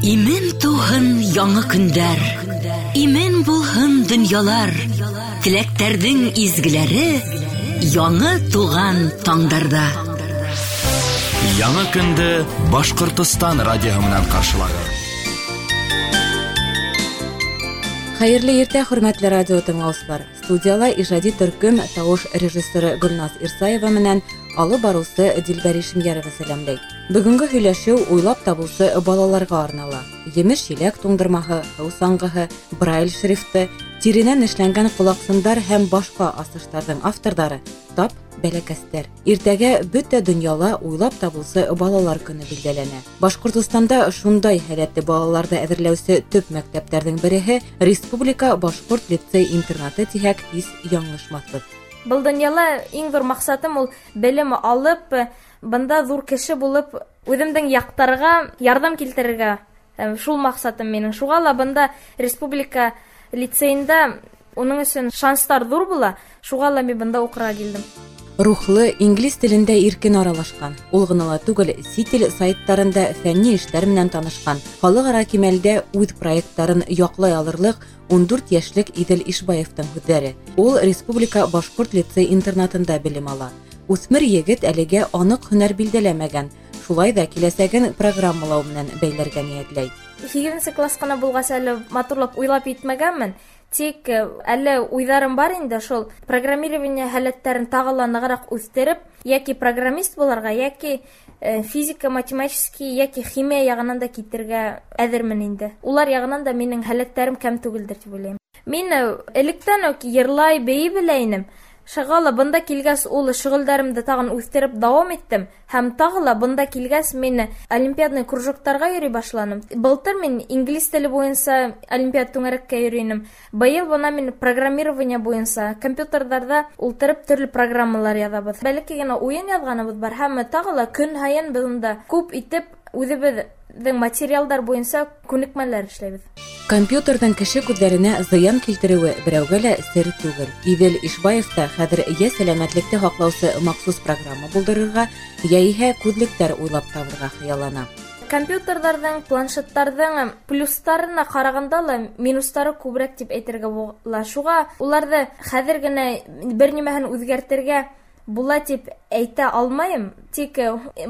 Имен тыуһын яңы көндәр, имен булһын донъялар, теләктәрҙең изгеләре яңы туған таңдарҙа. Яңы көндө Башҡортостан радиоһы менән ҡаршылағыҙ. Хәйерле иртә, хөрмәтле радио тыңлаусылар. Студияла ижади төркөм тауыш режиссеры Гөлназ Ирсаева менән алып барыусы Дилбәр Ишемйәрова сәләмләй. Бөгөнгө һөйләшеү уйлап табыусы балаларға арнала. Емеш-еләк туңдырмаһы, һыу саңғыһы, брайль шрифты, тиренән эшләнгән ҡолаҡсындар һәм башҡа асыштарҙың авторҙары тап бәләкәстәр. Иртәгә бөтә донъяла уйлап табыусы балалар көнө билдәләнә. Башҡортостанда шундай һәләтле балаларҙы әҙерләүсе төп мәктәптәрҙең береһе Республика башҡорт лицей-интернаты тиһәк һис яңылышмаҫбыҙ. Был донъяла иң ҙур маҡсатым ул белем алып, бында ҙур кеше булып, үҙемдең яҡтарға ярҙам килтерергә. Шул маҡсатым минең. Шуға ла бында республика лицейында уның өсөн шанстар ҙур була. Шуға ла мин бында уҡырға килдем. Рухлы, инглиз телендә иркен аралашҡан, ул ғына ла түгел, сит ил сайттарында фәнни эштәр менән танышҡан, халыҡ-ара кимәлдә үҙ проекттарын яҡлай алырлыҡ 14 йәшлек Иҙел Ишбаевтың һүҙҙәре. Ул Республика башҡорт лицей-интернатында белем ала. Үҫмер егет әлегә аныҡ һөнәр билдәләмәгән, шулай да киләсәген программалау менән бәйләргә ниәтләй. 8-нсе класс ҡына булғас әле матурлап уйлап етмәгәнмен. Тик әле уйҙарым бар инде, шул программирование һәләттәрен тағы ла нығыраҡ үҫтереп, йәки программист булырға, йәки физика, математический, йәки химия яғынан да китергә әҙермен инде. Улар яғынан да минең һәләттәрем кәм түгелдер тип уйлайым. Мин электән үк йырлай, бейей белә инем. Шуға ла бында килгәс ул шөғөлдәремде тағын үҫтереп дауам иттем. Һәм тағы ла бында килгәс мин олимпиадный кружоктарға йөрөй башланым. Былтыр мин инглиз теле буйынса олимпиад түңәрәккә йөрөй инем. Быйыл бына мин программирование буйынса компьютерҙарҙа ултырып төрлө программалар яҙабыҙ. Бәләкәй генә уйын яҙғаныбыҙ бар һәм тағы ла көн һайын беҙ унда күп итеп үҙебеҙҙең материалдар буйынса күнекмәләр эшләйбеҙ. Компьютерҙың кеше күҙҙәренә зыян килтереүе берәүгә лә сер түгел. Иҙел Ишбаев та хәҙер йә сәләмәтлекте һаҡлаусы махсус программа булдырырға, йә иһә күҙлектәр уйлап табырға хыяллана. Компьютерҙарҙың, планшеттарҙың плюстарына ҡарағанда ла минустары күберәк тип әйтергә була. Шуға уларҙы хәҙер генә бер нимәһен үҙгәртергә була тип әйтә алмайым. Тик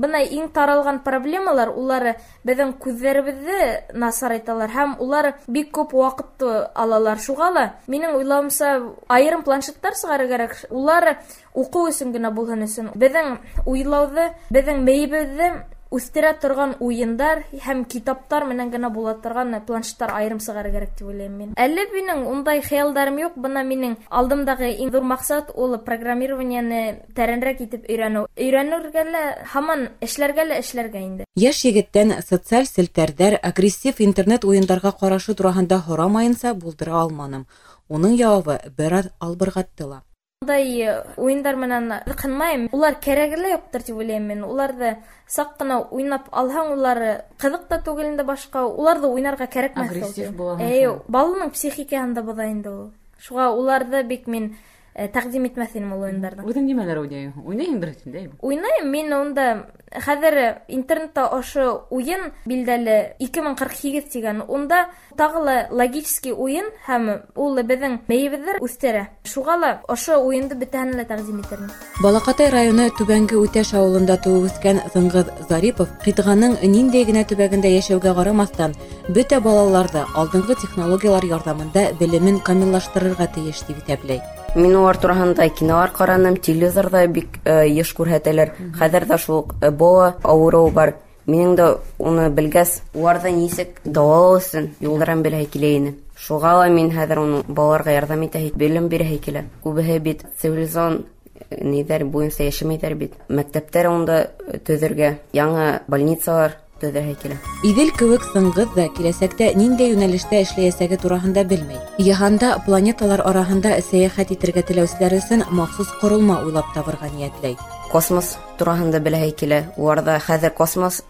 бына иң таралған проблемалар улар беҙҙең күҙҙәребеҙҙе насарайталар һәм улар бик күп ваҡытты алалар. Шуға ла минең уйлауымса айырым планшеттар сығарыр кәрәк. Улар уҡыу өсөн генә булһын өсөн. Беҙҙең уйлауҙы, беҙҙең мейебеҙҙе үҫтерә торған уйындар һәм китаптар менән генә була торған планшеттар айырым сығарыр кәрәк тип уйлайым мин. Әле минең ундай хыялдарым юҡ. Бына минең алдымдағы иң ҙур маҡсат ул программированиены тәрәнерәк итеп өйрәнеү. Өйрәнергә лә, һаман эшләргә лә эшләргә инде. Йәш егеттән социаль селтәрҙәр, агрессив интернет уйындарға ҡарашы тураһында һорамайынса булдыра алманым. Уның яуабы бер аҙ албырғатты ла. Ундай уйындар менән ҡынмайым. Улар кәрәге лә юҡтыр тип уйлайым мин. Уларҙы саҡ ҡына уйнап алһаң, улар ҡыҙыҡ та түгел инде башҡа. Уларҙы уйнарға кәрәкмәҫ. Агрессив була. Баланың психикаһын да боҙа инде ул. Шуға уларҙы бик мин тәҡдим итмәҫ инем ул уйындарҙы. Үҙең нимәләр уйнайһың? Уйнайһыңдыр бит инде, әйме? Уйнайым. Мин унда хәҙер интернетта ошо уйын билдәле 2048 тигән. Унда тағы ла логический уйын һәм ул беҙҙең мейебеҙҙе үҫтерә. Шуға ла ошо уйынды бөтәһенә лә тәҡдим итермен. Балаҡатай районы Түбәнге Үтәш ауылында тыуып үҫкән Сыңғыҙ Зарипов ҡитғаның ниндәй генә төбәгендә йәшәүгә ҡарамаҫтан, бөтә балаларҙы алдынғы технологиялар ярҙамында белемен камиллаштырырға тейеш тип иҫәпләй. Мин улар тураһында кинолар ҡараным, телевизорҙа бик йыш күрһәтәләр. Хәҙер ҙә шул уҡ Эбола ауырыуы бар. Минең дә уны белгәс, уларҙы нисек дауалау өсөн юлдарын беләһе килә ине. Шуға ла мин хәҙер уны балаларға ярҙам итәһе, белем бирәһе килә. Күбеһе бит цивилизацион ниҙәр буйынса йәшәмәйҙәр бит. Мәктәптәр унда төҙөргә, яңы больницалар төҙөргә килә. Иҙел кеүек Сыңғыҙ ҙа киләсәктә ниндәй йүнәлештә эшләйәсәге тураһында белмәй. Йыһанда планеталар араһында сәйәхәт итергә теләүселәр өсөн махсус ҡоролма уйлап табырға ниәтләй. Космос тураһында беләһе килә. Уларҙа хәҙер космос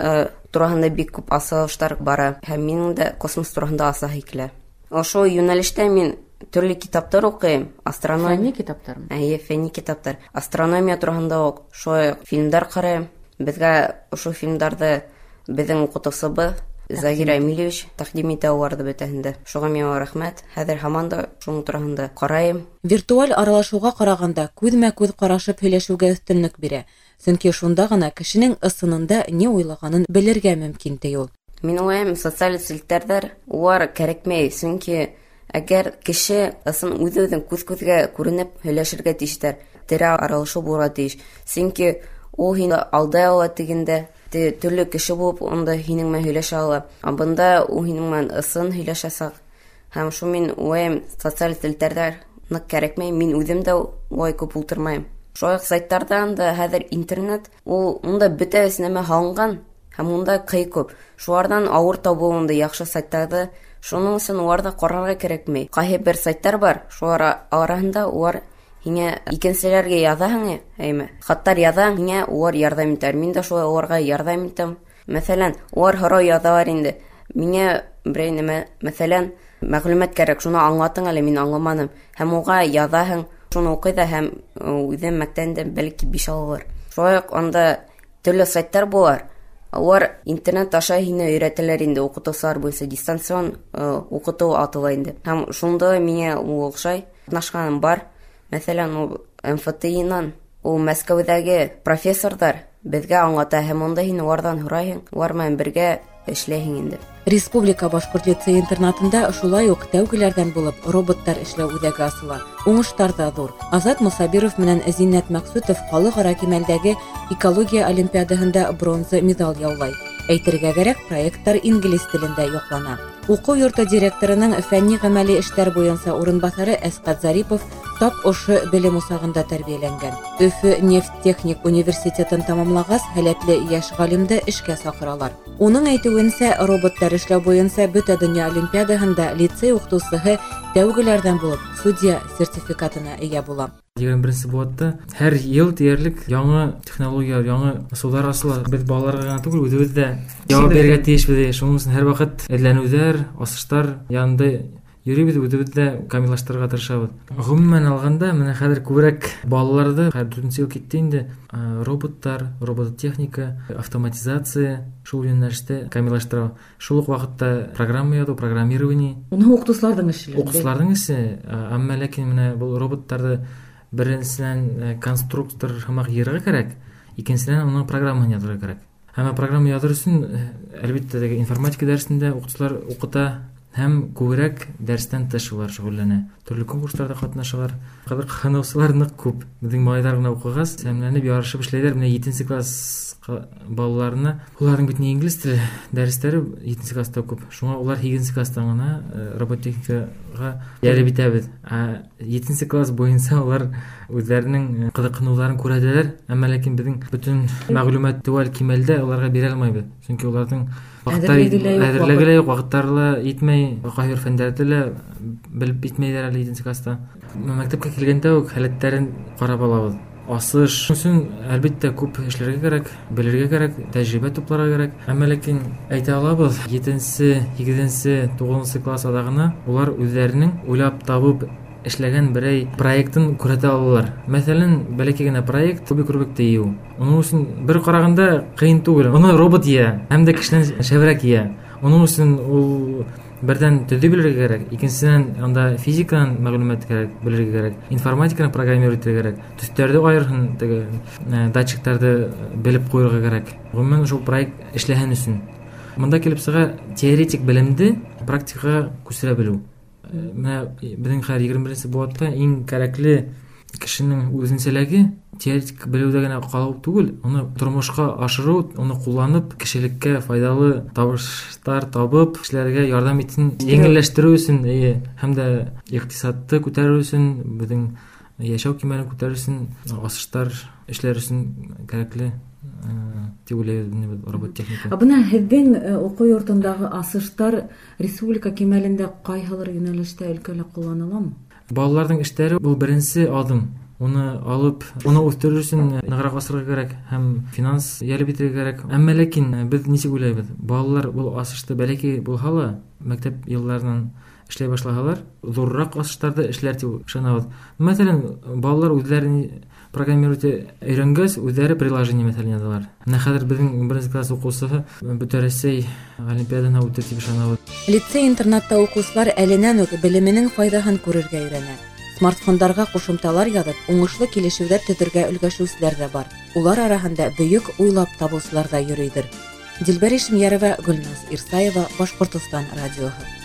тураһында бик күп асылыштар бара. Һәм минең дә космос тураһында асаһы килә. Ошо йүнәлештә мин төрлө китаптар уҡыйым. Астрономия. Фәнни китаптармы? Эйе, фәнни китаптар. Астрономия тураһында уҡ шулай уҡ фильмдар ҡарайым. Беҙгә ошо фильмдарҙы беҙҙең уҡытыусыбыҙ Загир Әмилевич тәҡдим итә уларҙы бөтәһен дә. Шуға миңә рәхмәт. Хәҙер һаман да шуның тураһында ҡарайым. Виртуаль аралашыуға ҡарағанда күҙмә-күҙ ҡарашып һөйләшеүгә өҫтөнлөк бирә. Сөнки шунда ғына кешенең ысынында ни уйлағанын белергә мөмкин, ти ул. Мин уйлайым, социаль селтәрҙәр улар кәрәкмәй, сөнки әгәр кеше ысын үҙ-үҙен күҙ-күҙгә күренеп һөйләшергә тейештәр, тере аралашыу булырға тейеш. Сөнки ул һине алдай ала тигәндә, төрлө кеше булып унда һинең менән һөйләшә ала. Ә бында ул һинең менән ысын һөйләшәсәк. Һәм шул мин уйлайым, социаль селтәрҙәр ныҡ кәрәкмәй. Мин үҙем дә улай күп ултырмайым. Шулай уҡ сайттарҙан да хәҙер интернет, ул унда бөтә нәмә һалынған һәм унда ҡый күп. Шуларҙан ауыр табыу унда яҡшы сайттарҙы. Шуның өсөн уларҙы ҡарарға кәрәкмәй. Ҡайһы бер сайттар бар, шулар араһында улар һиңә икенселәргә яҙаһың, әйме? Хаттар яҙаһың, һиңә улар ярҙам итәр. Мин дә шулай уларға ярҙам итәм. Мәҫәлән, улар һорау яҙалар инде. Миңә берәй нәмә, мәҫәлән, мәғлүмәт кәрәк, шуны аңлатың әле, мин аңламаным. Һәм уға яҙаһың, шуны уҡый ҙа һәм үҙем мәктәптән бәлки 5 алыр. Шулай уҡ унда төрлө сайттар булар. Улар интернет аша һине өйрәтәләр инде, уҡытыусылар буйынса дистанцион уҡытыу атала инде. Һәм шунда миңә ул оҡшай. Ҡатнашҡаным бар. Мәҫәлән, ул МФТИ-нан, ул Мәскәүҙәге профессорҙар беҙгә аңлата һәм унда һин уларҙан һорайһың, улар менән бергә эшләйһең инде. Республика башҡорт лицей интернатында шулай уҡ тәүгеләрҙән булып роботтар эшләү үҙәге асыла. Уңыштар ҙа ҙур. Азат Мусабиров менән Зиннәт Мәҡсүтов халыҡ-ара кимәлдәге экология олимпиадаһында бронза медаль яулай. Әйтергә кәрәк, проекттар инглиз телендә яҡлана. Уҡыу йорто директорының фәнни ғәмәли эштәр буйынса урынбаҫары Әсҡәт Зарипов тап ошо белем усағында тәрбиәләнгән. Өфө нефть техник университетын тамамлағас, һәләтле йәш ғалимды эшкә саҡыралар. Уның әйтеүенсә, роботтар эшләү буйынса бөтә донъя олимпиадаһында лицей уҡытыусыһы тәүгеләрҙән булып судья сертификатына эйә була. 21-нсе быуатта һәр йыл тиерлек яңы технологиялар, яңы ысулдар асыла. Беҙ балаларға ғына түгел, үҙебеҙ ҙә яуап бирергә тейешбеҙ. Шуның өсөн һәр ваҡыт эҙләнеүҙәр, асыштар янында йөрөйбөҙ, үҙебеҙ ҙә камиллаштырырға тырышабыҙ. Ғөмүмән алғанда, менә хәҙер күберәк балаларҙы, хәҙер 4-нсе йыл китте инде, роботтар, робототехника, автоматизация шул йүнәлештә камиллаштыра. Шул уҡ ваҡытта программа яҙыу, программирование. Уны уҡытыусыларҙың эше. Уҡытыусыларҙың эше, әммә ләкин менә был роботтарҙы беренсенән конструктор һымаҡ йыйырға кәрәк, икенсенән уның программаһын яҙырға кәрәк. Әммә программа яҙыр өсөн, әлбиттә, теге информатика дәресендә уҡытыусылар уҡыта һәм күберәк дәрестән тыш улар шөғөлләнә. Төрлө конкурстарҙа ҡатнашалар. Хәҙер ҡыҙыҡһыныусылар ныҡ күп. Беҙҙең малайҙар ғына уҡығас, сәмләнеп ярышып эшләйҙәр. Менә 7-нсе класс балаларына, уларҙың бит инглиз теле дәрестәре 7-нсе класста күп. Шуңа улар 8-нсе класстан ғына робототехникаға йәлеп итәбеҙ. Ә 7-нсе класс буйынса улар үҙҙәренең ҡыҙыҡһыныуҙарын күрһәтәләр. Әммә ләкин беҙҙең бөтөн мәғлүмәт теүәл кимәлдә уларға бирә алмайбыҙ. Сөнки уларҙың әҙерлеге лә юҡ, ваҡыттары ла етмәй, ҡайһы бер фәндәрҙе лә белеп етмәйҙәр әле 7-нсе класста. Мәктәпкә килгәндә үк һәләттәрен ҡарап алабыҙ. Асыш өсөн әлбиттә күп эшләргә кәрәк, белергә кәрәк, тәжрибә тупларға кәрәк. Әммә ләкин әйтә алабыҙ, 7-нсе, 8-нсе, 9-нсе класс аҙағына улар үҙҙәренең уйлап табып эшләгән берәй проектын күрһәтә алалар. Мәҫәлән, бәләкәй генә проект кубик Рубикты йыйыу. Уның өсөн бер ҡарағанда ҡыйын түгел. Уны робот йыя, һәм дә кешенән шәберәк йыя. Уның өсөн ул берҙән төҙөй белергә кәрәк, икенсенән анда физиканан мәғлүмәт кәрәк, белергә кәрәк, информатиканы программировать итергә кәрәк, төҫтәрҙе айырһын, теге датчиктарҙы белеп ҡуйырға кәрәк. Ғөмүмән, шул проект эшләһен өсөн. Бында килеп сыға теоретик белемде практикаға күсерә белеү. Менә беҙҙең хәҙер 21-нсе быуатта иң кәрәкле кешенең үҙенсәлеге теоретик белеүҙә генә ҡалыу түгел, уны тормошҡа ашырыу, уны ҡулланып кешелеккә файҙалы табыштар табып, кешеләргә ярҙам итһен, еңелләштереү өсөн, һәм дә иҡтисадты күтәреү өсөн, беҙҙең йәшәү кимәлен күтәреү өсөн, асыштар эшләр өсөн кәрәкле тип уйлайбыҙ робот техника. Ә бына һеҙҙең уҡыу йортондағы асыштар республика кимәлендә ҡайһылыр йүнәлештә өлкәлә ҡулланыламы? Балаларҙың эштәре был беренсе аҙым. Уны алып, уны үҫтерер өсөн нығыраҡ асырға кәрәк һәм финанс йәлеп итергә кәрәк. Әммә ләкин беҙ нисек уйлайбыҙ? Балалар был асышты бәләкәй булһа ла, мәктәп йылдарынан эшләй башлаһалар, ҙурыраҡ асыштарҙы эшләр тип ышанабыҙ. Мәҫәлән, балалар үҙҙәрен Программировать өйрәнгәс, үҙҙәре приложение мәҫәлән яҙалар. Менә хәҙер беҙҙең беренсе класс уҡыусыһы Бөтә Рәсәй олимпиадаһына үтер тип ышанабыҙ. Лицей-интернатта уҡыусылар әленән үк белеменең файҙаһын күрергә өйрәнә. Смартфондарға ҡушымталар яҙып, уңышлы килешеүҙәр төҙөргә өлгәшеүселәр ҙә бар. Улар араһында бөйөк уйлап табыусылар ҙа йөрөйҙөр. Дилбәр Ишемйәрова, Гөлназ Ирсаева, Башҡортостан радиоһы.